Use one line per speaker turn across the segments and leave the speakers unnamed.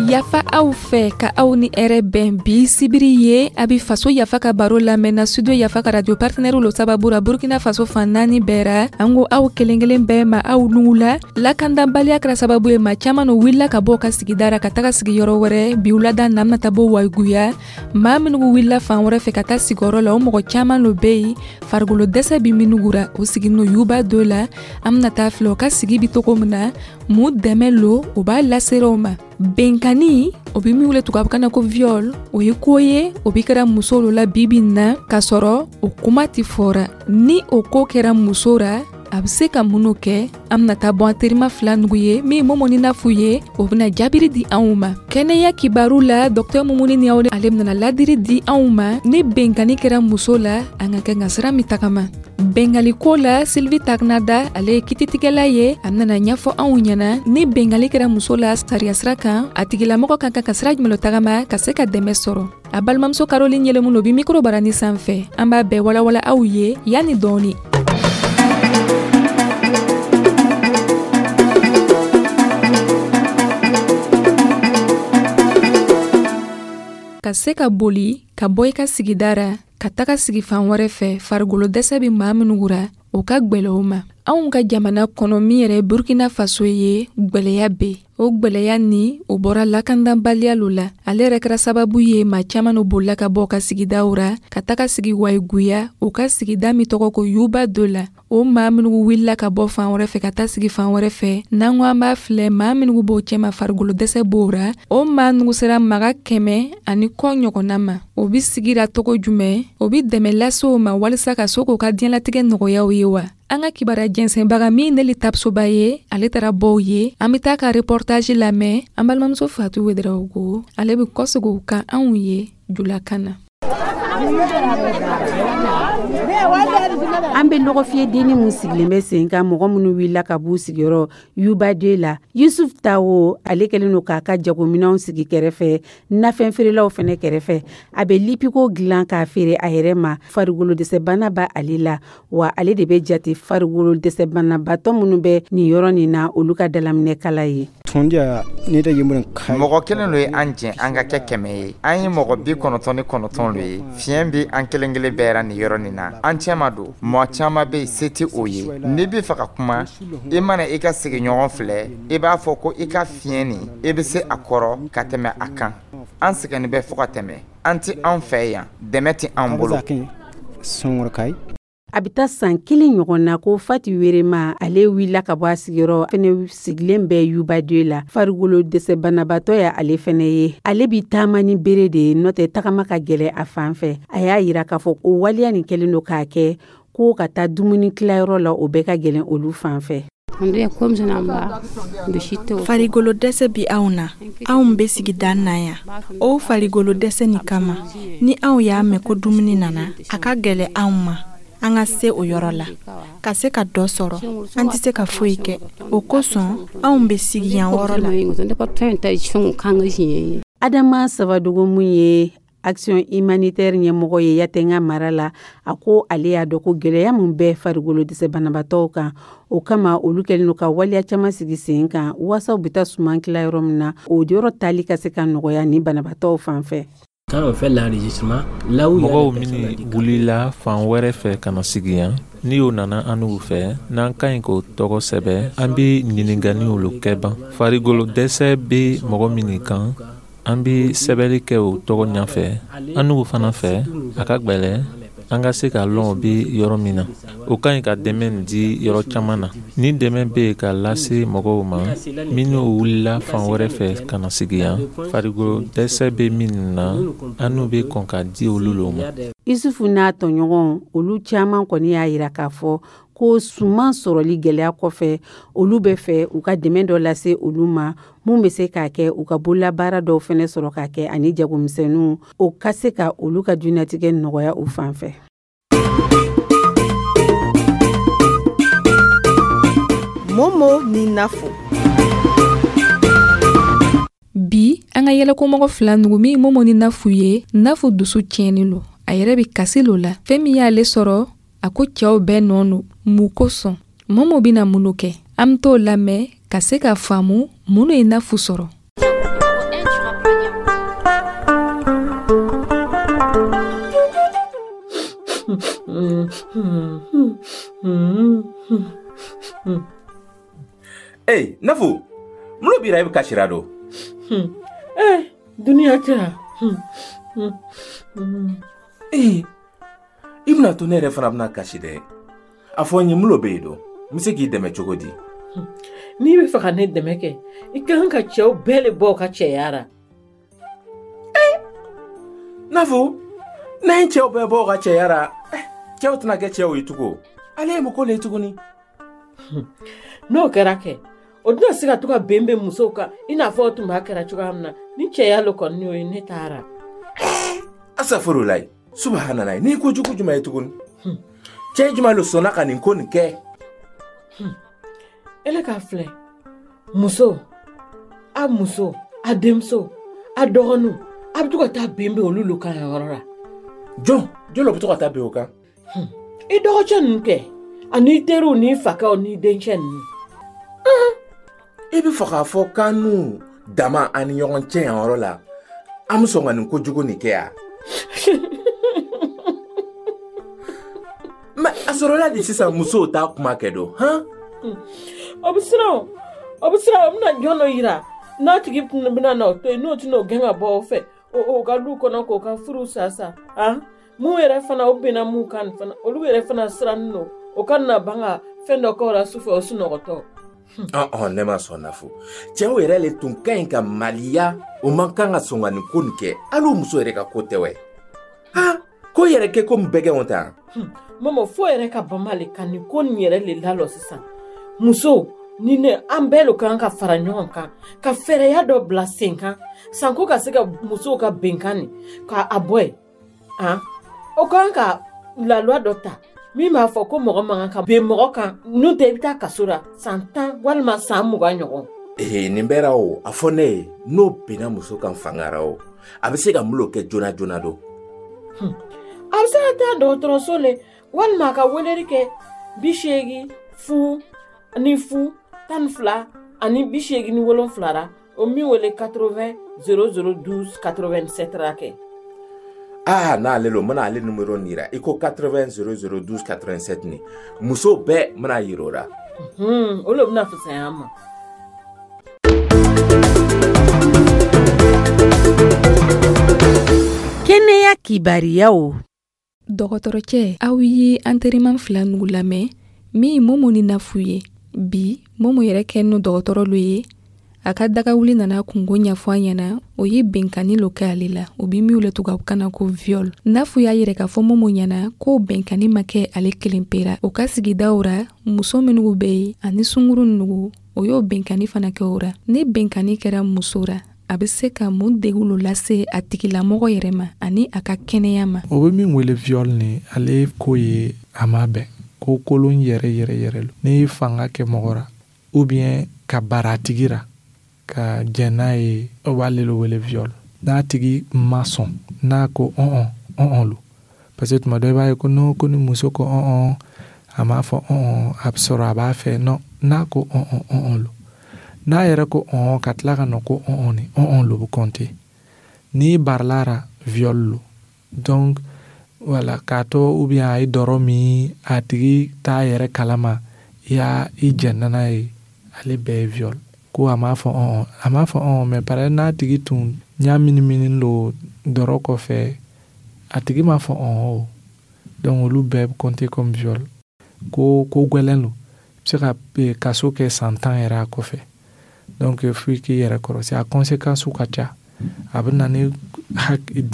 Yafa aw fɛ ka aw ni hɛrɛ bɛn. Bi sibiri ye, a bi Faso Yafa ka baro lamɛnna Studio Yafa ka radio partenaire lo sababu ra Burkina Faso fan naani bɛɛ ra. An ko aw kelen kelen bɛɛ ma, aw nugu la. Lakandanbaliya kɛra sababu ye, ma caaman no wulila ka bɔ ka sigida ra ka taga sigi yɔrɔ wɛrɛ. Bi wulada na, an bena taa bɔ Wayiguya. Maa minnu wulila fan wɛrɛ fɛ ka taa sigiyɔrɔ la, o mɔgɔ caaman lo be yen, farigolo dɛsɛ bi minnu ra, o siginin no Yuba do la. An bena taa filɛ o ka sigi bi togo min na, mun dɛmɛ lo o b'a lasera o ma. Benkani, o bi min wele tubabukan na ko viol, o ye ko ye o bi kɛra muso lo la bibi na, k'a sɔrɔ o kuma tɛ fɔra. Ni o ko kɛra muso ra, a bɛ se ka minnu kɛ, an bɛna taa bɔ an terima fila nugu ye, min Momo ni Nafu ye, o bɛna jaabiri di anw ma. Kɛnɛya kibaru la, Dɔktɛr Mumuni ni aw, ale bɛna ladiri di anw ma ni benkani kɛra muso la, an ka kɛ ka sira min tagama bengali ko la. Sylvie Tagnada, ale ye kititigɛla ye, a bɛna ɲɛfɔ anw ɲɛna ni bengali kɛra muso la sariya sira kan, a tigilamɔgɔ kan ka sira jumɛn tagama ka se ka dɛmɛ sɔrɔ. A balimamuso Caroline Yɛlɛmu o bi mikoro barani sanfɛ, an b'a bɛɛ walawala aw ye yanni dɔɔni. Ka se ka boli ka bɔ i ka sigida ra ka taga sigi fan wɛrɛ fɛ, farigolo dɛsɛ bɛ maa minnu ra, o ka gwɛlɛ o ma. Anw ka jamana kɔnɔ, min yɛrɛ Burkina Faso ye, gwɛlɛya be o gwɛlɛya ni o bɔra lakandanbaliya lo la. Ale yɛrɛ kɛra sababu ye, maa caaman no bolila ka bɔ ka sigidaw ra ka taga sigi Wayiguya, o ka sigida min tɔgɔ ko Yuba do la. O maa minnu wulila ka bɔ fan wɛrɛ fɛ ka taa sigi fan wɛrɛ fɛ, n'an ko an b'a filɛ, maa minnu b'o cɛma, farigolo dɛsɛ b'o ra. O maa nugu sera maga 100 ani kɔ ɲɔgɔnna ma. O bi sigira togo jumɛn? O bi dɛmɛ lase o ma walisa ka se k'o ka diɲɛlatigɛ nɔgɔyaw ye wa? An ka kibaruya jɛnsɛnbaga min Neli Tapsoba ye, ale taara bɔw ye. An bɛ taa ka reportage lamɛn. An balimamuso Fatu Wederawogo, ale bɛ kɔsegin o kan anw ye julakan na.
An bɛ lɔgɔfiyɛ denni min sigilen bɛ sen kan, mɔgɔ minnu wulila ka b'u sigiyɔrɔ Yuba 2 la, Yusuf Tawo, ale kɛlen don k'a ka jagominɛnw sigi kɛrɛfɛ, nafɛn feerelaw fana kɛrɛfɛ. A bɛ lipiko dilan k'a feere a yɛrɛ ma. Farikolo dɛsɛbana b'a ale la wa, ale de bɛ jate farikolo dɛsɛbanabatɔ minnu bɛ nin yɔrɔ nin na, olu ka dalaminɛkala ye.
Mɔgɔ kelen lo ye an jɛ an ka kɛ 100 ye. An ye mɔgɔ 99 lo ye. Fiɲɛ bɛ an kelen kelen bɛɛ ra nin yɔrɔ nin na, an cɛma don. Mɔgɔ caman bɛ yen, se tɛ o ye. N'i bɛ fɛ ka kuma, i mana i ka sigiɲɔgɔn filɛ, i b'a fɔ ko i ka fiɲɛ nin, i bɛ se a kɔrɔ ka tɛmɛ a kan. An sɛgɛnnin bɛ fo ka tɛmɛ. An tɛ an fɛ yan, dɛmɛ tɛ an bolo.
A bɛ taa san kelen ɲɔgɔn na ko Fati Werema, ale wulila ka bɔ a sigiyɔrɔ fɛnɛ, sigilen bɛ Yuba 2 la. Farikolo dɛsɛ banabaatɔ ye ale fɛnɛ ye. Ale bi taama ni bere de ye, n'o tɛ tagama ka gɛlɛ a fan fɛ. A y'a yira k'a fɔ o waleya nin kɛlen don k'a kɛ ko ka taa dumuni tilayɔrɔ la, o bɛɛ ka gɛlɛn olu fan fɛ.
Farigolo dɛsɛ bi anw na. Anw bɛ sigida na yan. O farigolo dɛsɛ nin kama, ni anw y'a mɛn ko dumuni nana, a ka gɛlɛ anw ma an ka se o yɔrɔ la ka se ka dɔ sɔrɔ. An tɛ se ka foyi kɛ. O kosɔn anw bɛ sigi yan yɔrɔ la.
Adama Sabadogo, mun ye Action humanitaire ɲɛmɔgɔ ye Yatenga mara la, a ko ale y'a dɔn ko gɛlɛya min bɛ farikolo dɛsɛ banabaatɔw kan, o kama olu kɛlen don ka waleya caman sigi sen kan waasa u bɛ taa suman tila yɔrɔ min na, o yɔrɔ tali ka se ka nɔgɔya ni banabaatɔw fan fɛ.
Mɔgɔw minnu wulila fan wɛrɛ fɛ ka na sigi yan, ni o nana an n'u fɛ, n'an ka ɲi k'o tɔgɔ sɛbɛ, an bɛ ɲininkaliw kɛ ban. Farikolo dɛsɛ bɛ mɔgɔ minnu kan, an bɛ sɛbɛnni kɛ o tɔgɔ ɲɛfɛ. An n'u fana fɛ, a ka gwɛlɛ an ka se ka lɔn o bɛ yɔrɔ min na. O ka ɲi ka dɛmɛ di yɔrɔ caman na. Ni dɛmɛ bɛ yen ka lase mɔgɔw ma minnu wulila fan wɛrɛ fɛ ka na sigi yan, farikolo dɛsɛ bɛ minnu na, an n'u bɛ kɔn ka di olu lo ma.
Isufu n'a tɔɲɔgɔnw, olu caman kɔni y'a yira k'a fɔ ko suman sɔrɔli gɛlɛya kɔfɛ, olu bɛ fɛ u ka dɛmɛ dɔ lase olu ma, mun bɛ se k'a kɛ u ka bololabaara dɔw fɛnɛ sɔrɔ k'a kɛ ani jagomisɛnninw, o ka se ka olu ka diɲɛnatigɛ nɔgɔya u fan fɛ.
Momo ni Nafo.
Bi, an ka yɛlɛkomɔgɔ fila nugu, min Momo ni Nafu ye, Nafu dusu tiɲɛni lo, a yɛrɛ bɛ kasi lo la. Fɛn min y'ale sɔrɔ, a ko cɛw bɛɛ nɔ don. Mun kosɔn? Momo bɛna mun kɛ? An bɛ t'o lamɛn ka se ka faamu mun ye Nafu sɔrɔ.
Ee, Nafu, mun lo b'i ra i bɛ kasira don?
Eh, duniya tɛ.
Ee, i bɛna to ne yɛrɛ fana bɛna kasi dɛ. A fɔ n ye, mun lo bɛ yen don? N bɛ se k'i dɛmɛ cogo di?
N'i bɛ fɛ ka ne dɛmɛ kɛ, i ka kan ka cɛw bɛɛ le bɔ u ka cɛya ra.
Nafu, n'an ye cɛw bɛɛ bɔ u ka cɛya ra, cɛw tɛna kɛ cɛw ye tugun. Ale ye mun ko le ye tuguni?
N'o kɛra kɛ, o tɛna se ka to ka bɛn bɛn musow kan i n'a fɔ o tun b'a kɛra cogoya min na. Ni cɛya lo kɔni y'o ye, ne taara.
Asafurulayi, subahanalayi, ni ko jugu jumɛn ye tuguni? Cɛ jumɛn lo sɔnna ka nin ko nin kɛ?
Ele k'a filɛ, muso, a muso, a denmuso, a dɔgɔninw, a bɛ to ka taa bɛn bɛn olu lo kan yɔrɔ la.
Jɔn jɔn lo bɛ to ka taa bɛn o kan?
I dɔgɔcɛ ninnu kɛ, ani teriw n'i fakɛw n'i dencɛ ninnu.
I bɛ fɛ k'a fɔ k'an n'u dama an ni ɲɔgɔn cɛ yan yɔrɔ la, an bɛ sɔn ka nin kojugu nin kɛ yan? Mɛ a sɔrɔla de sisan musow t'a kuma kɛ don, han?
O bɛ siran o, o bɛ siran o bɛna jɔn dɔ yira n'a tigi bɛna na o to yen, n'o tɛna o gɛn ka bɔ o fɛ o ka du kɔnɔ k'o ka furu sa sa, han? Mun yɛrɛ fana o bɛnna mun kan fana, olu yɛrɛ fana sirannen don o ka na ban ka fɛn dɔ kɛ o la sufɛ o sunɔgɔtɔ.
Ɔn, ne ma sɔn Nafu. Cɛw yɛrɛ le tun ka ɲi ka maliya, o man kan ka sɔn ka nin ko nin kɛ. Hali o muso yɛrɛ ka ko tɛ wɛ. Han, ko yɛrɛ kɛ komi bɛgɛnw ta.
Mama, fo yɛrɛ ka bama le ka nin ko nin yɛrɛ le lalɔ sisan. Muso ni ne, an bɛɛ lo kan ka fara ɲɔgɔn kan ka fɛɛrɛya dɔ bila sen kan sanko ka se ka musow ka bɛnkan nin ka a bɔ yen. Han, o kan ka la loi dɔ ta min b'a fɔ ko mɔgɔ man kan ka ben mɔgɔ kan, n'o tɛ i bɛ taa kaso la san 10 walima san 20 ɲɔgɔn.
Ee, nin bɛɛ ra o, a fɔ ne ye, n'o benna muso kan fanga ra o, a bɛ se ka mun lo kɛ joona joona don?
A bɛ se ka taa dɔgɔtɔrɔso le, walima a ka weleli kɛ 80 0 0 12 87 ra, o min wele 80 00 12 87 ra kɛ.
Ah, n'ale lo, n bɛna ale numéro nin yira. I ko 80 00 12 87 nin. Muso bɛɛ n bɛna yira o la.
O le bɛna fisaya an ma.
Kɛnɛya kibariyaw.
Dɔgɔtɔrɔcɛ, aw ye an teriman fila nugu lamɛn min Momo ni Nafu ye. Bi Momo yɛrɛ kɛ n'o dɔgɔtɔrɔ lo ye. A ka dagawuli nana kungo ɲɛfɔ an ɲɛna, o ye bɛnkanni lo kɛ ale la, o bi min wele tubabukan na ko viol. Nafu y'a yɛrɛ k'a fɔ Momo ɲɛna k'o bɛnkanni ma kɛ ale kelen pe ra. O ka sigidaw ra, muso minnu bɛ yen ani sunguru nugu, o y'o bɛnkanni fana kɛ o ra. Ni bɛnkanni kɛra muso ra, a bɛ se ka mun degun lo lase a tigilamɔgɔ yɛrɛ ma ani a ka kɛnɛya ma?
O bɛ min wele viol ni, ale ko ye a ma bɛn ko kolon yɛrɛ yɛrɛ yɛrɛ lo. N'i ye fanga kɛ mɔgɔ ra, ou bien ka bara a tigi ra, ka jɛn n'a ye, o b'ale le wele viol. N'a tigi ma sɔn, n'a ko ɔn ɔn ɔn lo, parce que tuma dɔ i b'a ye ko non, ko ni muso ko ɔn ɔn, a m'a fɔ ɔn ɔn, a bɛ sɔrɔ a b'a fɛ. Non, n'a ko ɔn ɔn ɔn ɔn lo, n'a yɛrɛ ko ɔn ka tila ka na ko ɔn ɔn ni ɔn ɔn lo bɛ compter. N'i barila ra, viol lo. Donc voilà, k'a to ou bien a ye dɔrɔ min, a tigi t'a yɛrɛ kalama, i y'a i jɛnna n'a ye, ale bɛɛ ye viol. Ko a m'a fɔ ɔn ɔn, a m'a fɔ ɔn, mais par exemple n'a tigi tun ɲa minimini lo dɔrɔ kɔfɛ, a tigi m'a fɔ ɔn o. Donc olu bɛɛ bɛ compter comme viol. Ko ko gwɛlɛn lo, i bɛ se ka kaso kɛ san 10 yɛrɛ a kɔfɛ. Donc fo i k'i yɛrɛ kɔrɔsi, a conséquence ka ca. A bɛ na ni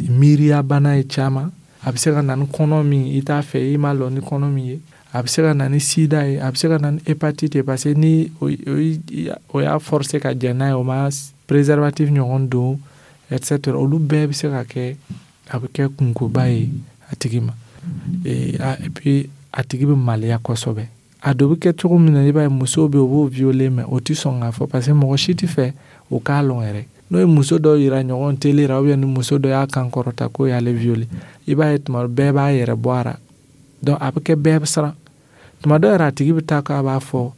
miiriyabana ye caman, a bɛ se ka na ni kɔnɔ min i t'a fɛ, i m'a lɔn ni kɔnɔ min ye, a bɛ se ka na ni sida ye, a bɛ se ka na ni hépatite ye, parce que ni o y'a forcer ka jɛn n'a ye, o ma préservatif ɲɔgɔn don, et cetera, olu bɛɛ bɛ se ka kɛ, a bɛ kɛ kunkoba ye a tigi ma. Et puis a tigi bɛ maloya kosɛbɛ. A dɔ bɛ kɛ cogo min na, i b'a ye musow bɛ yen, u b'o violer, mais o tɛ sɔn k'a fɔ, parce que mɔgɔ si tɛ fɛ o k'a lɔn yɛrɛ. N'o ye muso dɔ yira ɲɔgɔn télé la, ou bien ni muso dɔ y'a kan kɔrɔta k'o y'ale violer, i b'a ye tuma bɛɛ b'a yɛrɛ bɔ a ra. Donc a bɛ kɛ bɛɛ bɛ siran. Tuma dɔ yɛrɛ a tigi bɛ taa k'a b'a fɔ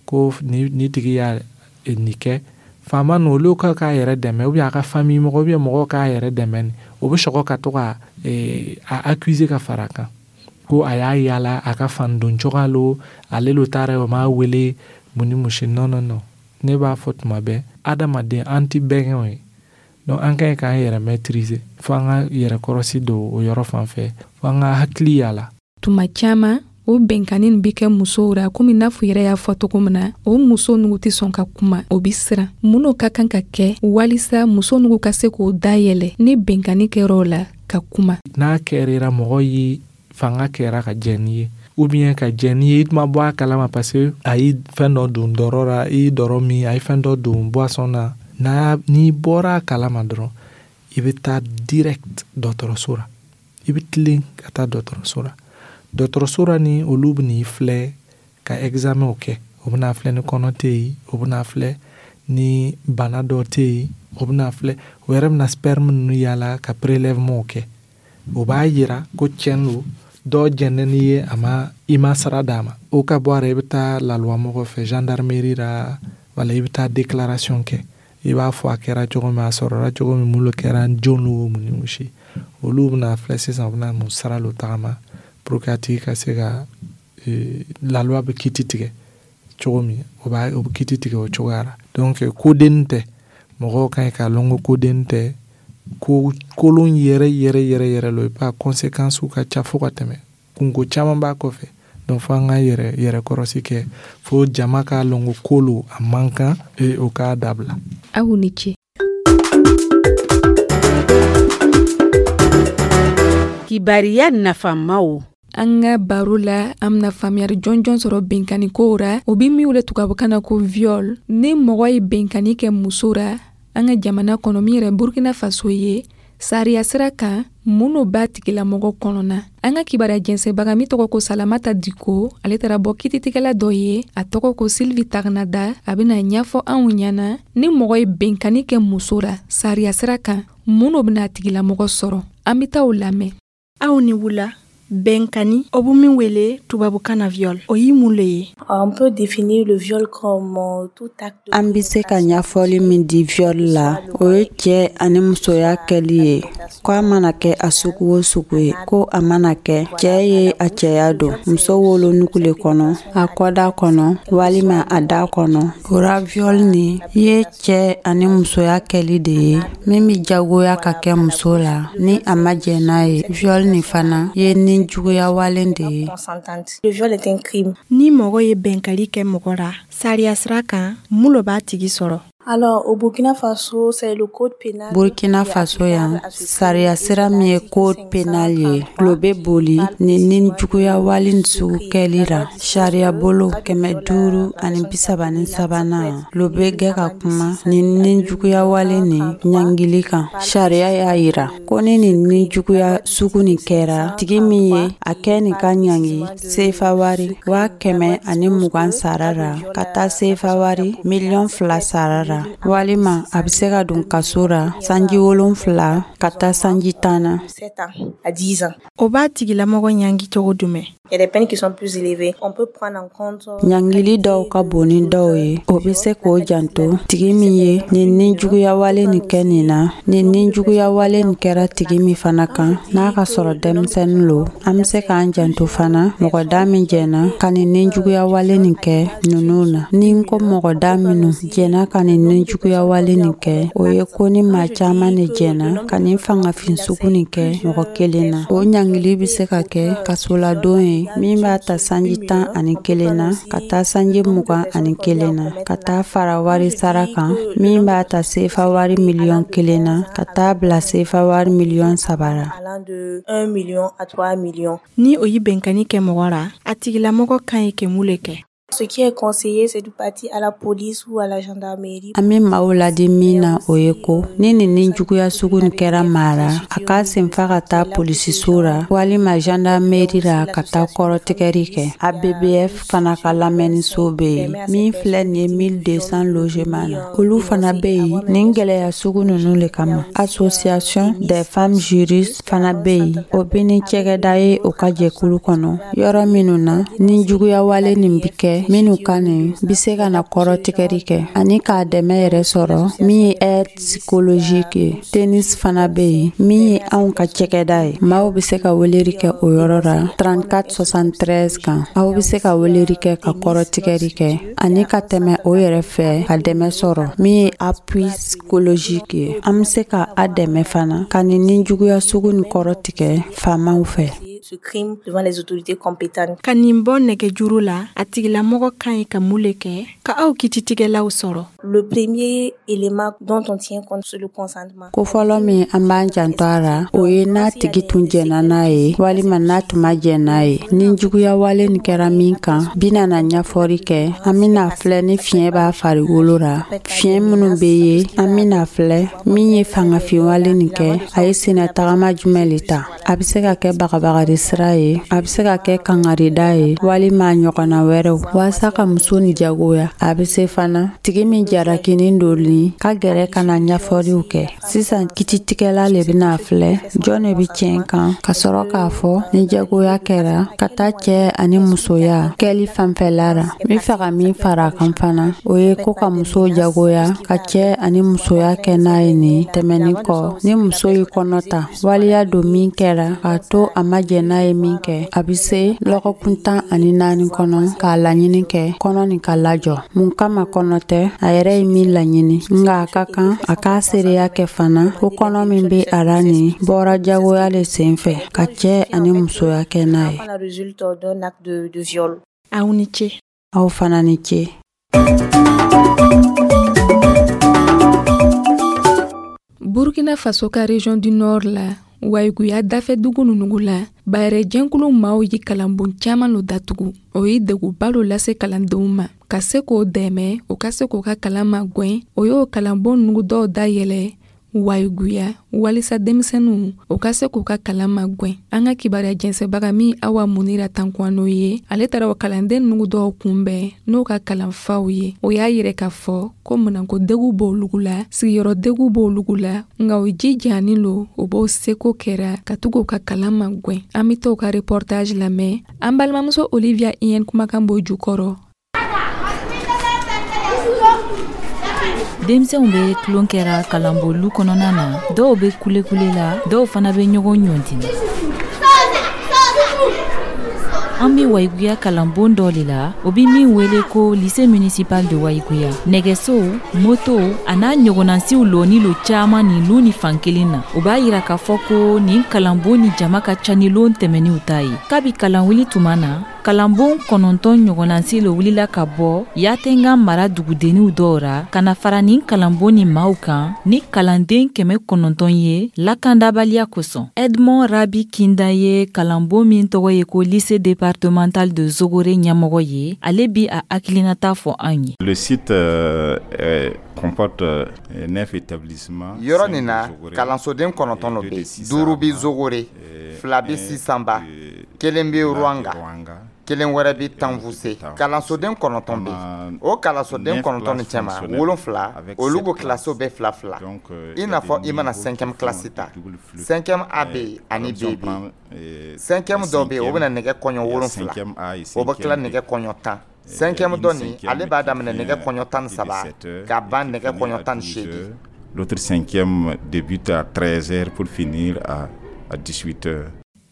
ko ni tigi y'a nin kɛ, faama ninnu olu ka k'a yɛrɛ dɛmɛ, ou bien a ka famille mɔgɔ, ou bien mɔgɔw k'a yɛrɛ dɛmɛ, o bɛ sɔrɔ ka to ka a accuser ka fara a kan. Ko a y'a yala a ka fan don cogoya lo, ale lo taara, o m'a wele, mun ni mun si. Non, non, non, ne b'a fɔ tuma bɛɛ, adamaden, an ti bɛnkɛw ye. Donc an ka ɲi k'an yɛrɛ maîtriser, fo an ka yɛrɛ kɔrɔsi don o yɔrɔ fan fɛ, fo an ka hakili yala.
Tuma caman, o bɛnkanni nin bi kɛ musow ra, komi n'a fɔ yɛrɛ y'a fɔ cogo min na, o muso nugu tɛ sɔn ka kuma, o bi siran. Mun n'o ka kan ka kɛ walisa muso nugu ka se k'o dayɛlɛ ni bɛnkanni kɛra la ka kuma?
N'a kɛra mɔgɔ ye, fanga kɛra ka jɛn n'i ye, ou bien ka jɛn n'i ye, i tuma bɔ a kalama, parce que a ye fɛn dɔ don dɔrɔ la, i ye dɔrɔ min, a ye fɛn dɔ don boisson na, n'a n'i bɔra a kalama dɔrɔn, i bɛ taa direct dɔgɔtɔrɔso la. I bɛ tilen ka taa dɔgɔtɔrɔso la. Dɔgɔtɔrɔso la ni olu bɛ n'i filɛ ka examen kɛ. O bɛna filɛ ni kɔnɔ tɛ yen, o bɛna filɛ ni bana dɔ tɛ yen, o bɛna filɛ, o yɛrɛ bɛna sperme ninnu yala ka prélèvement kɛ. O b'a yira ko tiɲɛ don, dɔ jɛnnen n'i ye, a ma, i ma sara d'a ma. O ka bɔ a la, i bɛ taa laluwa mɔgɔ fɛ, gendarmerie la, wala i bɛ taa déclaration kɛ. I b'a fɔ a kɛra cogo min, a sɔrɔla cogo min, mun kɛra, jɔn n'o, mun ni mun si. Olu bɛna filɛ sisan, u bɛna mun sara lo tagama pour que a tigi ka se ka la loi bɛ kiti tigɛ cogo min, o b'a o bɛ kiti tigɛ o cogoya la. Donc koden tɛ, mɔgɔw ka ɲi k'a lɔn ko koden tɛ, ko kolon yɛrɛ yɛrɛ yɛrɛ yɛrɛ lo. I b'a conséquence ka ca fo ka tɛmɛ, kunko caman b'a kɔfɛ. Donc fo an ka yɛrɛ yɛrɛ kɔrɔsi kɛ, fo jama k'a lɔn ko ko lo, a man kan, o k'a dabila.
Aw ni ce.
Kibariya nafamaw.
An ka baro la, an bena faamuyari jɔnjɔn sɔrɔ benkani kow ra, o bi min wele tubabukan na ko viol. Ni mɔgɔ ye benkani kɛ muso ra an ka jamana kɔnɔ, min yɛrɛ Burkina Faso ye, sariya sira kan, mun no b'a tigilamɔgɔ kɔnɔna? An ka kibaruya jɛnsɛbaga min tɔgɔ ko Salamata Diko, ale taara bɔ kititigɛla dɔ ye, a tɔgɔ ko Sylvie Tagnada. A bena ɲɛfɔ anw ɲɛna, ni mɔgɔ ye benkani kɛ muso ra sariya sira kan, mun no bena a tigilamɔgɔ sɔrɔ. An be taa o lamɛn.
Aw ni wula. Bɛnkani, o bɛ min wele tubabukan na viol, o ye mun le ye?
On peut définir le viol comme tout acte.
An bɛ se ka ɲɛfɔli min di viol la, o ye cɛ ani musoya kɛli ye, ko a mana kɛ a sugu o sugu ye, ko a mana kɛ cɛ ye a cɛya don muso wolonugu le kɔnɔ, a kɔda kɔnɔ walima a da kɔnɔ. O ra, viol nin ye cɛ ani musoya kɛli de ye min bɛ jagoya ka kɛ muso la ni a ma jɛn n'a ye. Viol nin fana ye ni juguya walen de ye.
Le viol est un crime.
Ni mɔgɔ ye bɛnkali kɛ mɔgɔ ra sariya sira kan, mun lo b'a tigi sɔrɔ?
Alors, au Burkina Faso, c'est le code pénal.
Burkina Faso yan, sariya sira min ye code pénal ye, lo bɛ boli nin ni juguya wale sugu kɛli ra. Sariya bolo 533nan lo bɛ gɛ ka kuma nin ni juguya wale nin ɲangili kan. Sariya y'a yira ko ni nin ni juguya sugu nin kɛra, tigi min ye a kɛ nin ka ɲangi sefa wari 120,000 sara ra ka taa sefa wari 2 miliyɔn sara ra, walima a bɛ se ka don kaso ra sanji 7 ka taa sanji 10 na.
À 10 ans.
O b'a tigilamɔgɔ ɲangi cogo jumɛn?
Il y a des peines qui sont plus élevées. On peut prendre en compte.
Ɲangili dɔw ka bon ni dɔw ye. O bɛ se k'o janto tigi min ye nin ni juguya wale nin kɛ nin na, nin ni juguya wale nin kɛra tigi min fana kan, n'a ka sɔrɔ denmisɛnnin lo. An bɛ se k'an janto fana mɔgɔ da min jɛnna ka nin ni juguya wale nin kɛ ninnu na. Ni n ko mɔgɔ da minnu jɛnna ka nin ni juguya wale nin kɛ, o ye ko ni maa caman de jɛnna ka nin fangafin sugu nin kɛ mɔgɔ kelen na. O ɲangili bɛ se ka kɛ kasoladon ye min b'a ta sanji 11 na ka taa sanji 21 na, ka taa fara wari sara kan min b'a ta sefa wari 1 miliyɔn na ka taa bila sefa wari 3 miliyɔn la.
Allant de 1 million à 3 millions.
Ni o ye bɛnkani kɛ mɔgɔ ra, a tigilamɔgɔ kan ye kɛ mun le kɛ?
Ce qui est conseillé, c'est de partir à la police ou à la gendarmerie.
An bɛ maaw ladi min na, o ye ko ni nin ni juguya sugu nin kɛra maa ra, a k'a senfa ka taa polisiso ra walima gendarmerie ra ka taa kɔrɔtigɛri kɛ. ABBF fana ka lamɛnniso bɛ yen min filɛ nin ye 1200 logement na, olu fana bɛ yen nin gɛlɛya sugu ninnu le kama. Association des femmes juristes fana bɛ yen, o bɛ ni cɛgɛda ye o ka jɛkulu kɔnɔ, yɔrɔ minnu na ni juguya wale nin bi kɛ. kɛ minnu ka nin bɛ se ka na kɔrɔtigɛri kɛ ani k'a dɛmɛ yɛrɛ sɔrɔ min ye aide psychologique ye. Tennis fana bɛ yen min ye anw ka cɛkɛda ye. Maaw bɛ se ka weleli kɛ o yɔrɔ la 34 73 kan. Aw bɛ se ka weleli kɛ ka kɔrɔtigɛri kɛ ani ka tɛmɛ o yɛrɛ fɛ ka dɛmɛ sɔrɔ min ye appui psychologique ye. An bɛ se ka a dɛmɛ fana ka nin nijuguya sugu nin kɔrɔ tigɛ faamaw fɛ.
Ce crime devant les autorités compétentes.
Ka nin bɔ nɛgɛjuru la, a tigilamɔgɔ ka ɲi ka mun le kɛ ka aw kititigɛlaw sɔrɔ?
Le premier élément dont on tient compte, c'est le consentement.
Ko fɔlɔ min an b'an janto a la, o ye n'a tigi tun jɛnna n'a ye walima n'a tun ma jɛn n'a ye. Ni juguya wale nin kɛra min kan, bɛna na ɲɛfɔli kɛ. An bɛna filɛ ni fiɲɛ b'a farikolo la, fiɲɛ minnu bɛ ye, an bɛna filɛ min ye fangafinwale nin kɛ, a ye sennatagama jumɛn le ta. A bɛ se ka kɛ bagabagari sira ye, a bɛ se ka kɛ kangarida ye walima a ɲɔgɔnna wɛrɛw walasa ka muso nin jagoya. A bɛ se fana tigi min jarakinin don nin ka gɛrɛ ka na ɲɛfɔliw kɛ. Sisan kititigɛla le bɛna filɛ jɔn de bɛ tiɲɛ kan ka sɔrɔ k'a fɔ ni jagoya kɛra ka taa cɛ ani musoya kɛli fanfɛla la. N bɛ fɛ ka min fara a kan fana, o ye ko ka muso jagoya ka cɛ ani musoya kɛ n'a ye nin tɛmɛnin kɔ. Ni muso y'i kɔnɔ ta waliya don min kɛra k'a to a ma jɛn n'a ye min kɛ, a bɛ se lɔgɔkun 14 kɔnɔ k'a laɲini kɛ kɔnɔ nin ka lajɔ. Mun kama kɔnɔ tɛ, a yɛrɛ ye min laɲini, nka a ka kan a k'a seereya kɛ fana ko kɔnɔ min bɛ a la nin bɔra jagoya le sen fɛ ka cɛ ani musoya kɛ n'a ye.
La résulte d'un acte de viol.
Aw ni ce.
Aw fana ni ce.
Burkina Faso ka région du Nord la, Wayiguya dafɛ dugu ninnu la, bayɛrɛ jɛnkulu maaw ye kalanbon caman lo datugu. O ye degunba lo lase kalandenw ma. Ka se k'o dɛmɛ, o ka se k'o ka kalan magwɛn, o y'o kalanbon ninnu dɔw dayɛlɛ Wayiguya walisa denmisɛnninw o ka se k'u ka kalan magwɛn. An ka kibaruya jɛnsɛbaga min Awa Munira Tankuwano ye, ale taara o kalanden ninnu dɔw kunbɛn n'o ka kalanfaw ye. O y'a yɛrɛ k'a fɔ ko minɛnko degun b'olugu la, sigiyɔrɔ degun b'olugu la, nka o jijanin lo o b'o seko kɛra ka to k'u ka kalan magwɛn. An bɛ t'o ka reportage lamɛn. An balimamuso Olivia Iyɛn kumakan b'o jukɔrɔ.
Denmisɛnw bɛ tulon kɛra kalanbonlu kɔnɔna na, dɔw bɛ kulekule la, dɔw fana bɛ ɲɔgɔn ɲɔnti. An bɛ Wayiguya kalanbon dɔ de la, o bɛ min wele ko lycée municipal de Wayiguya. Nɛgɛso, moto a n'a ɲɔgɔnnasiw lɔni lo caman nin lu ni fan kelen na. O b'a yira k'a fɔ ko nin kalanbon ni jama ka ca ni lon tɛmɛninw ta ye. Kabi kalanwuli tuma na, kalanbon 9 ɲɔgɔnnasi lo wulila ka bɔ Yatenga mara dugudenninw dɔw ra ka na fara nin kalanbon ni maaw kan ni kalanden 900 ye lakandabaliya kosɔn. Edmond Rabi Kinda ye kalanbon min tɔgɔ ye ko lycée départemental de Zogore ɲɛmɔgɔ ye, ale bi a hakilinata fɔ an ye.
Le site comporte 9 établissements.
Yɔrɔ nin na, kalansoden 9 lo bɛ yen. 5 bɛ Zogore, 2 bɛ Sisanba, 1 bɛ Ruwanga, 1 wɛrɛ bɛ Tanfuse. Kalansoden 9 bɛ yen. O kalansoden 9 nin cɛma, 7 olu ko kilasiw bɛ 2-2. I n'a fɔ i mana 5e kilasi ta, 5e A bɛ yen ani B bɛ yen. 5e dɔ bɛ yen, o bɛna nɛgɛ kɔɲɔ 7, o bɛ tila nɛgɛ kɔɲɔ 10. 5e dɔ nin, ale b'a daminɛ nɛgɛ kɔɲɔ 13 ka ban nɛgɛ kɔɲɔ 18.
L'autre 5e débute à 13h pour finir à 18h.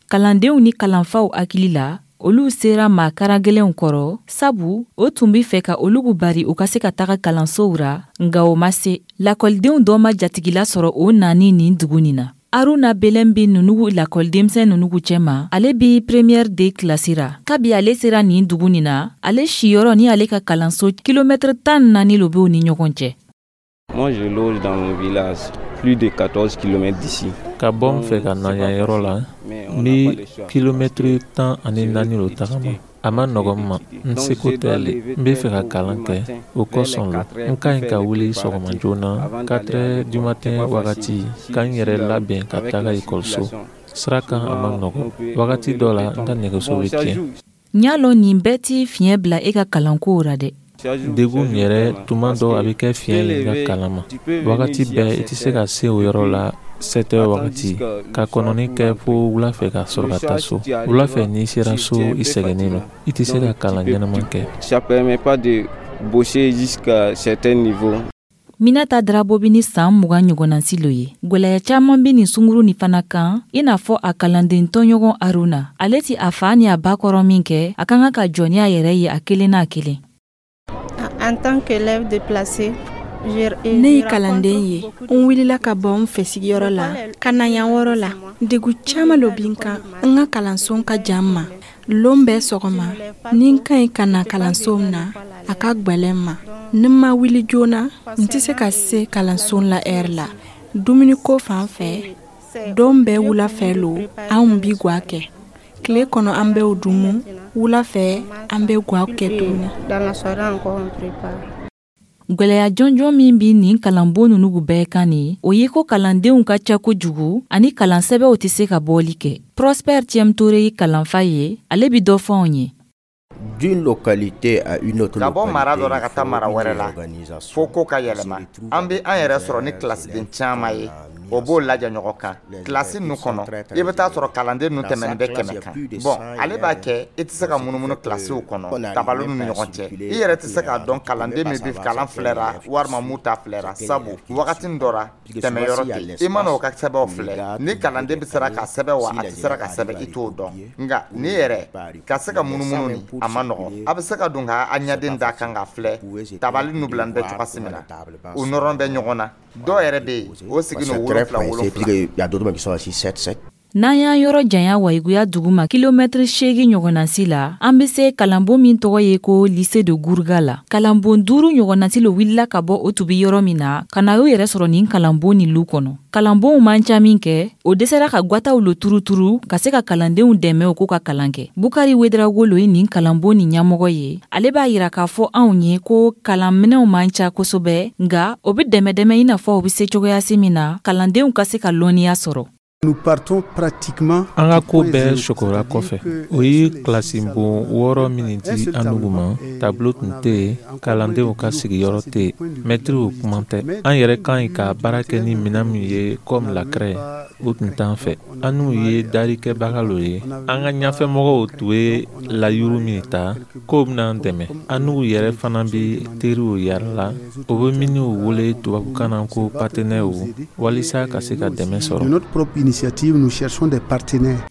Kalandenw ni kalanfaw hakili la, olu sera maa karagɛlɛnw kɔrɔ, sabu o tun bɛ fɛ ka olugu bari u ka se ka taga kalansow ra, nka o ma se. Lakɔlidenw dɔ ma jatigila sɔrɔ o nani nin dugu nin na. Aruna Belɛn bɛ nunugu lakɔlidenmisɛn nunugu cɛma, ale bɛ première D kilasi ra. Kabi ale sera nin dugu nin na, ale siyɔrɔ ni ale ka kalanso kilomɛtɛrɛ 14 lo b'o ni ɲɔgɔn cɛ.
Moi, je loge dans mon village, plus de 14 km d'ici.
Ka bɔ n fɛ ka na yan yɔrɔ la, n bɛ kilomɛtɛrɛ 14 lo tagama. A ma nɔgɔn n ma, n seko tɛ le. N bɛ fɛ ka kalan kɛ, o kosɔn lo. N ka ɲi ka wuli sɔgɔma joona 4 heures du matin wagati ka n yɛrɛ labɛn ka taga ekɔliso. Sira kan a ma nɔgɔn. Wagati dɔ la, n ka nɛgɛso bɛ tiɲɛ.
N y'a lɔn nin bɛɛ t'i fiɲɛ bila e ka kalankow ra dɛ.
Degun yɛrɛ tuma dɔ a bɛ kɛ fiɲɛ ye i ka kalan ma. Wagati bɛɛ i tɛ se ka se o yɔrɔ la 7 heures wagati ka kɔnɔni kɛ fo wula fɛ ka sɔrɔ ka taa so. Wula fɛ n'i sera so, i sɛgɛnnen don, i tɛ se ka kalan ɲɛnama kɛ.
Ça permet pas de bosser jusqu'à certain niveau.
Minata Drabo bɛ ni san 20 ɲɔgɔnnasi lo ye. Gwɛlɛya caman bɛ nin sunguru nin fana kan, i n'a fɔ a kalanden tɔɲɔgɔn Aruna. Ale ti a fa ni a ba kɔrɔ min kɛ, a ka kan ka jɔ ni a yɛrɛ ye a kelen n'a kelen.
En tant qu'élève déplacé,
ne ye kalanden ye, n wulila ka bɔ n fɛ sigiyɔrɔ la ka na yan wɔrɔ la. Degun caman lo bi n kan. N ka kalanso ka jan n ma. Lon bɛɛ sɔgɔma, ni n ka ɲi ka na kalanso na, a ka gwɛlɛn n ma. Ni n ma wuli joona, n tɛ se ka se kalanso la ɛri la. Dumuniko fan fɛ, don bɛɛ wula fɛ lo anw bi gwa kɛ. Tile kɔnɔ an b'o dumu, wula fɛ an bɛ gwa kɛ tuguni.
Gwɛlɛya jɔnjɔn min bi nin kalanbon ninnu bɛɛ kan nin, o ye ko kalandenw ka ca kojugu ani kalansɛbɛw tɛ se ka bɔli kɛ. Prosper Tiemtore ye kalanfa ye, ale bi dɔ fɔ anw ye.
D'une localité à une autre
Ka bɔ mara dɔ la
localité,
ka taa mara wɛrɛ la, fo ko ka yɛlɛma. An bɛ an yɛrɛ sɔrɔ ni kilasiden caman ye, o b'o lajɛ ɲɔgɔn kan. Kilasi ninnu kɔnɔ, i bɛ taa sɔrɔ kalanden ninnu tɛmɛnen bɛ 100 kan. Bɔn, ale b'a kɛ i tɛ se ka munumunu kilasiw kɔnɔ tabaliw ni ɲɔgɔn cɛ. I yɛrɛ tɛ se k'a dɔn kalanden min bɛ kalan filɛra walima mun t'a filɛra, sabu wagati dɔ ra tɛmɛyɔrɔ tɛ yen. I mana o ka sɛbɛnw filɛ, ni kalanden bɛ sera ka sɛbɛn wa a tɛ sera ka sɛbɛn, i t'o dɔn. Nka ni yɛrɛ ka se ka munumunu nin, a ma nɔgɔn. A bɛ se ka don ka a ɲɛden da kan ka filɛ tabali ninnu bilalen bɛ cogoya min na, u nɔrɔ bɛ ɲɔgɔn na. Dɔw yɛrɛ bɛ yen, o sigi n'o 7 7.
Il y a d'autres qui sont assis 7 7.
N'an y'an yɔrɔ janya Wayiguya dugu ma kilomɛtiri 8 ɲɔgɔnnasi la, an be se kalanbon min tɔgɔ ye ko lycée de Gourga la. Kalanbon 5 ɲɔgɔnnasi lo wulila ka bɔ o tubi yɔrɔ min na, ka na y'o yɛrɛ sɔrɔ nin kalanbon nin lu kɔnɔ. Kalanbonw man ca min kɛ, o dɛsɛra ka gwataw lo turuturu ka se ka kalandenw dɛmɛ u k'u ka kalan kɛ. Bukari Wedrago lo ye nin kalanbon nin ɲɛmɔgɔ ye. Ale b'a yira k'a fɔ anw ye ko kalanminɛw man ca kosɛbɛ, nka o be dɛmɛ dɛmɛ i n'a fɔ u be se cogoyasi min na kalandenw ka se ka lɔnniya sɔrɔ.
Nous partons pratiquement
An ka ko bɛɛ sɔgɔra kɔfɛ. O ye kilasinbon 6 min di an nugu ma, tableau tun tɛ yen, kalandenw ka sigiyɔrɔ tɛ yen, mɛtiriw kuma tɛ. An yɛrɛ ka ɲi ka baara kɛ ni minɛn min ye comme la craie, o tun t'an fɛ. An n'u ye daarikɛbaga lo ye. An ka ɲɛfɛmɔgɔw tun ye layuru min ta k'o bɛna an dɛmɛ. An n'u yɛrɛ fana bɛ teriw yɛrɛ la, o bɛ minnu wele tubabukan na ko partenaires, walisa ka se ka dɛmɛ sɔrɔ.
De notre propre initiative, nous cherchons des partenaires.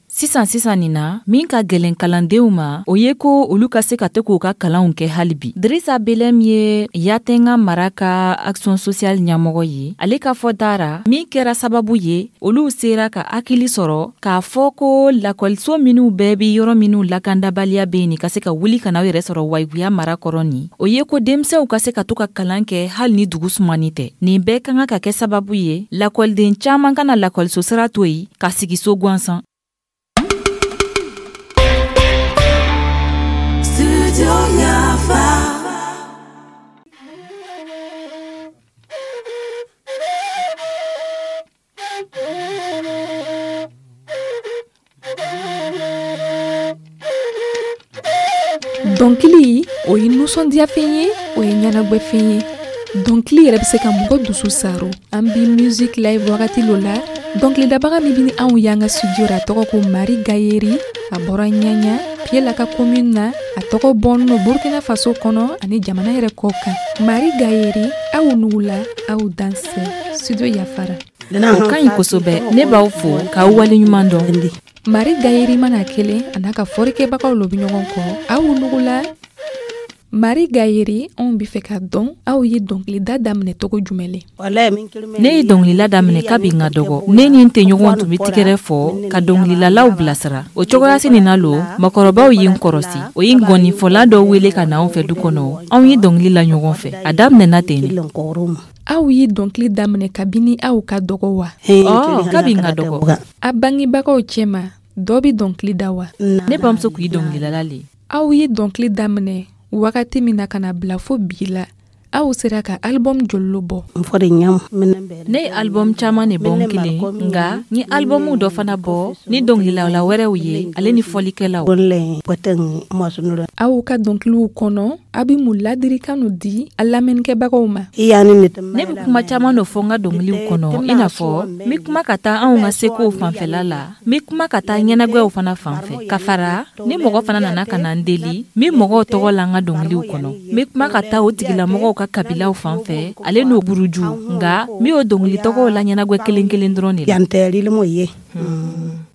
Sisan sisan nin na, min ka gɛlɛn kalandenw ma, o ye ko olu ka se ka to k'u ka kalanw kɛ hali bi. Drisa Belem ye Yatenga mara ka action sociale ɲɛmɔgɔ ye. Ale ka fɔ dara, min kɛra sababu ye, olu sera ka hakili sɔrɔ k'a fɔ ko lakɔliso minw bɛɛ bi yɔrɔ minw lakandabaliya bɛ yen nin ka se ka wuli ka n'aw yɛrɛ sɔrɔ Wayiguya mara kɔrɔ nin, o ye ko denmisɛnw ka se ka to ka kalan kɛ hali ni dugu sumani tɛ. Nin bɛɛ ka kan ka kɛ sababu ye, lakɔliden caman kana lakɔliso sira to yen ka sigi so gansan.
Dɔnkili, o ye nisɔndiyafɛn ye, o ye ɲɛnagwɛfɛn ye. Dɔnkili yɛrɛ bɛ se ka mɔgɔ dusu saro. An bi music live wagati lo la. Dɔnkilidabaga min bɛ ni anw y'an ka studio ra, a tɔgɔ ko Mari Gayeri. A bɔra Ɲaɲa Piyela ka commune na. A tɔgɔ bɔnnen don Burkina Faso kɔnɔ ani jamana yɛrɛ kɔ kan. Mari Gayeri, aw nugula, aw dansɛ. Studio yafara.
O ka ɲi kosɛbɛ. Ne b'aw fo k'aw waleɲuman dɔn.
Mari Gayeri mana kelen a n'a ka fɔlikɛbagaw lo bɛ ɲɔgɔn kɔ. Aw nugula. Mari Gayeri, anw bɛ fɛ ka dɔn aw ye dɔnkilida daminɛ cogo jumɛn le?
Ne ye dɔnkilila daminɛ kabi n ka dɔgɔ. Ne ni n tɛɲɔgɔn tun bɛ tigɛrɛ fɔ ka dɔnkililalaw bilasira. O cogoyasi nin na lo, mɔgɔkɔrɔbaw ye n kɔrɔsi. O ye ngɔnifɔla dɔ wele ka na anw fɛ du kɔnɔ. Anw ye dɔnkili la ɲɔgɔn fɛ. A daminɛna ten de.
Aw ye dɔnkili daminɛ kabini aw ka dɔgɔ wa?
Ɔ, kabi n ka dɔgɔ.
A bangebagaw cɛma, dɔ bɛ dɔnkili da wa?
Ne bamuso kun ye dɔnkililala le ye.
Aw ye dɔnkili daminɛ wagati min na ka na bila fo bi la, Aw sera ka album joli lo bɔ?
Ne ye album caman de bɔ n kelen, nka n ye album dɔ fana bɔ ni dɔnkililala wɛrɛw ye, ale ni fɔlikɛlaw.
Aw ka dɔnkiliw kɔnɔ, a bɛ mun ladirikan di a lamɛnnikɛbagaw ma?
Ne bɛ kuma caman dɔ fɔ n ka dɔnkiliw kɔnɔ, i n'a fɔ n bɛ kuma ka taa anw ka sekow fanfɛla la, n bɛ kuma ka taa ɲɛnagwɛw fana fan fɛ. Ka fara ni mɔgɔ fana nana ka na n deli, n bɛ mɔgɔw tɔgɔ la n ka dɔnkiliw kɔnɔ. N bɛ kuma ka taa o tigilamɔgɔw ka kabilaw fan fɛ, ale n'o buruju, nka n bɛ o dɔnkili tɔgɔw la ɲɛnagwɛ kelen kelen dɔrɔn de la.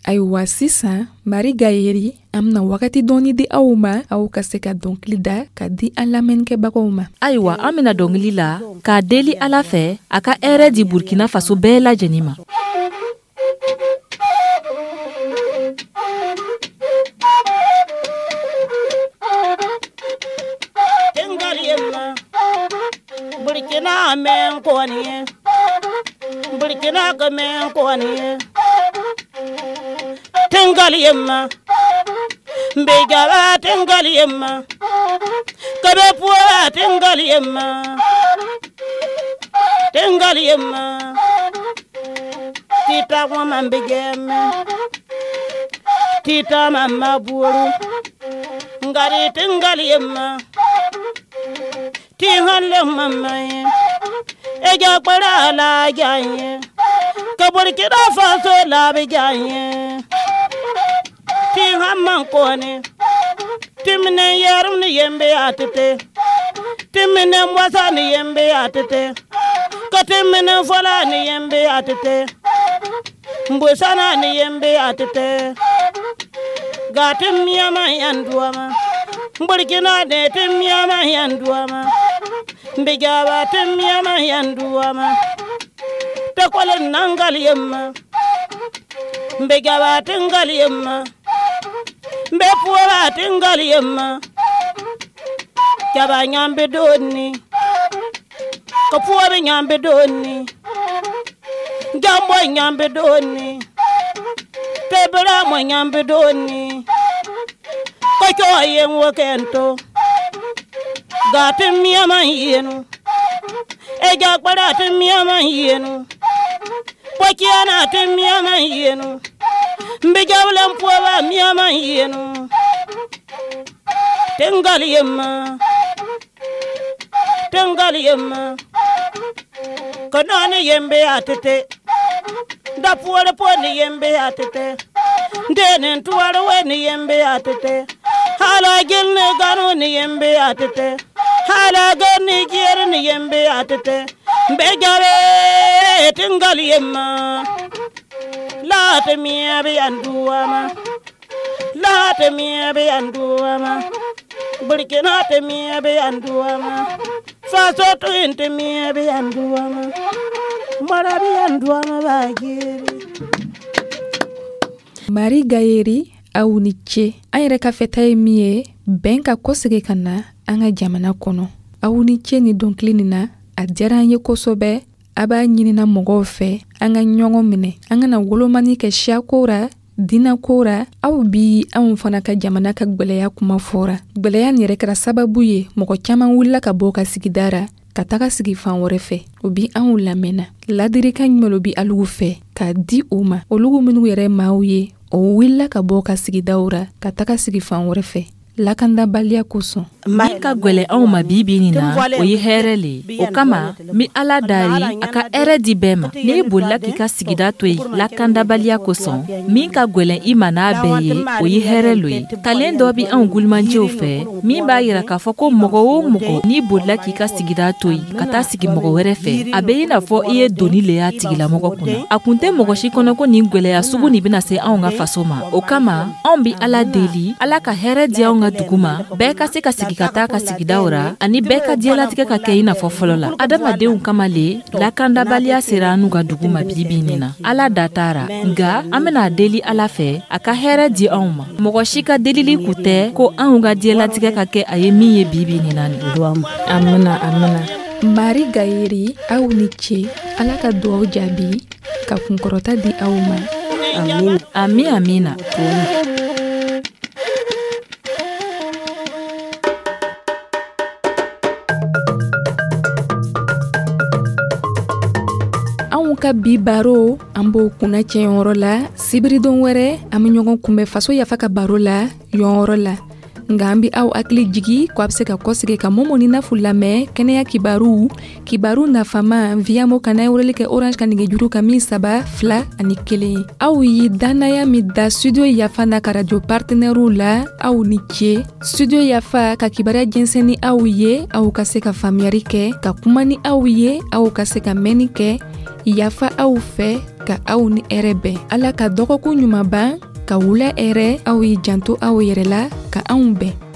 Ayiwa, sisan Mari Gayeri, an bɛna wagati dɔɔni di aw ma, aw ka se ka dɔnkili da ka di an lamɛnnikɛbagaw ma.
Ayiwa, an bɛna dɔnkili la k'a deli Ala fɛ a ka hɛrɛ di Burkina Faso bɛɛ lajɛlen ma.
Burkina men koni, Burkina ka men koni, Tingaliyema, Mbegala tingaliyema, Kabe puwa tingaliyema, Tingaliyema, Tita wama mbegeme, Tita mama buru, Ngari tingaliyema, Tihanle mama ye, Eja kpara la jaye, Ka Burkina Faso la bi jaye. Ti hamman kone, Timine yerum ni yembe atete, Timine mwasa ni yembe atete, Ka timine fola ni yembe atete, Mbusana ni yembe atete, Ga timiyama yanduama, Burkina de timiyama yanduama, Mbigaba timiyama yanduama, Takwale nangali yemma, Mbigaba tingali yemma, Mbe puwa tingali yemma, Jaba nyambe doni, Ka puwa be nyambe doni, Jambo nyambe doni, Tebra mo nyambe doni, Kocho yen wakento, Gati miyama yenu, Eja kpara ti miyama yenu, Pokiana ti miyama yenu, Mbijawle mpuwa miyama yenu, Tingali yemma, Tingali yemma, Kanani yembe atete, Dapuwale poni yembe atete, Ndene tuwale weni yembe atete, Hala gilne ganu ni yembe atete, Hala gani jere ni yembe atete, Mbejawe tingali yemma, Laate miya be anduama, Laate miya be anduama, Burkina te miya be anduama, Faso tuinte miya be anduama, Mara be anduama bagiri.
Mari Gayeri, aw ni ce. An yɛrɛ ka fɛta ye min ye, bɛn ka kɔsegin ka na an ka jamana kɔnɔ. Aw ni ce ni dɔnkili nin na, a diyara an ye kosɛbɛ. A b'a ɲinina mɔgɔw fɛ an ka ɲɔgɔn minɛ, an kana wolomani kɛ siyako ra, diinɛ ra. Aw bi anw fana ka jamana ka gwɛlɛya kuma fɔra. Gwɛlɛya nin yɛrɛ kɛra sababu ye mɔgɔ caman wulila ka bɔ ka sigida ra ka taga sigi fan wɛrɛ fɛ. O bi anw lamɛnna. Ladirikan jumɛn bi alugu fɛ k'a di u ma, olugu minnu yɛrɛ maaw ye, o wulila ka bɔ ka sigidaw ra ka taga sigi fan wɛrɛ fɛ lakandabaliya kosɔn.
Min ka gwɛlɛ anw ma bi bi nin na, o ye hɛrɛ le ye. O kama n bɛ Ala dari a ka hɛrɛ di bɛɛ ma. N'i bolila k'i ka sigida to yen lakandabaliya kosɔn, min ka gwɛlɛn i ma n'a bɛɛ ye, o ye hɛrɛ lo ye. Talen dɔ bɛ anw gulimanjɛw fɛ min b'a yira k'a fɔ ko mɔgɔ o mɔgɔ n'i bolila k'i ka sigida to yen ka taa sigi mɔgɔ wɛrɛ fɛ, a bɛ i n'a fɔ i ye doni le y'a tigilamɔgɔ kunna. A kun tɛ mɔgɔ si kɔnɔ ko nin gwɛlɛya sugu nin bɛna se anw ka faso ma. O kama anw bɛ Ala deli, Ala ka hɛrɛ di anw ka dugu ma, bɛɛ ka se ka sigi ka taa ka sigidaw ra, ani bɛɛ ka diɲɛlatigɛ ka kɛ i n'a fɔ fɔlɔ la. Adamadenw kama le lakandabaliya sera an n'u ka dugu ma bi bi nin na. Ala da t'a ra, nka an bɛna deli Ala fɛ a ka hɛrɛ di anw ma. Mɔgɔ si ka delili kun tɛ ko anw ka diɲɛlatigɛ ka kɛ a ye min ye bi bi nin na nin.
Amina, amina.
Mari Gayeri, aw ni ce. Ala ka duwaw jaabi ka kunkɔrɔta di aw ma.
Ami, amina.
Anw ka bi baro, an b'o kunnacɛ yɔrɔ la. Sibiridon wɛrɛ, an bɛ ɲɔgɔn kunbɛn Faso Yafa ka baro la yɔrɔ la. Nka an bɛ aw hakili jigi ko a bɛ se ka kɔsegi ka Momo ni Nafu lamɛn kɛnɛya kibaru, kibaru nafama via mo kana weleli kɛ Orange ka nɛgɛjuru kan min 3 2 1. Aw ye dannaya min da Studio Yafa n'a ka radio partenaires la, aw ni ce. Studio Yafa ka kibaruya jɛnsɛn ni aw ye, aw ka se ka faamuyali kɛ, ka kuma ni aw ye, aw ka se ka mɛnni kɛ. Yafa aw fɛ ka aw ni hɛrɛ bɛn. Ala ka dɔgɔkun ɲuman ban, ka wula hɛrɛ. Aw ye janto aw yɛrɛ la, ka anw bɛn.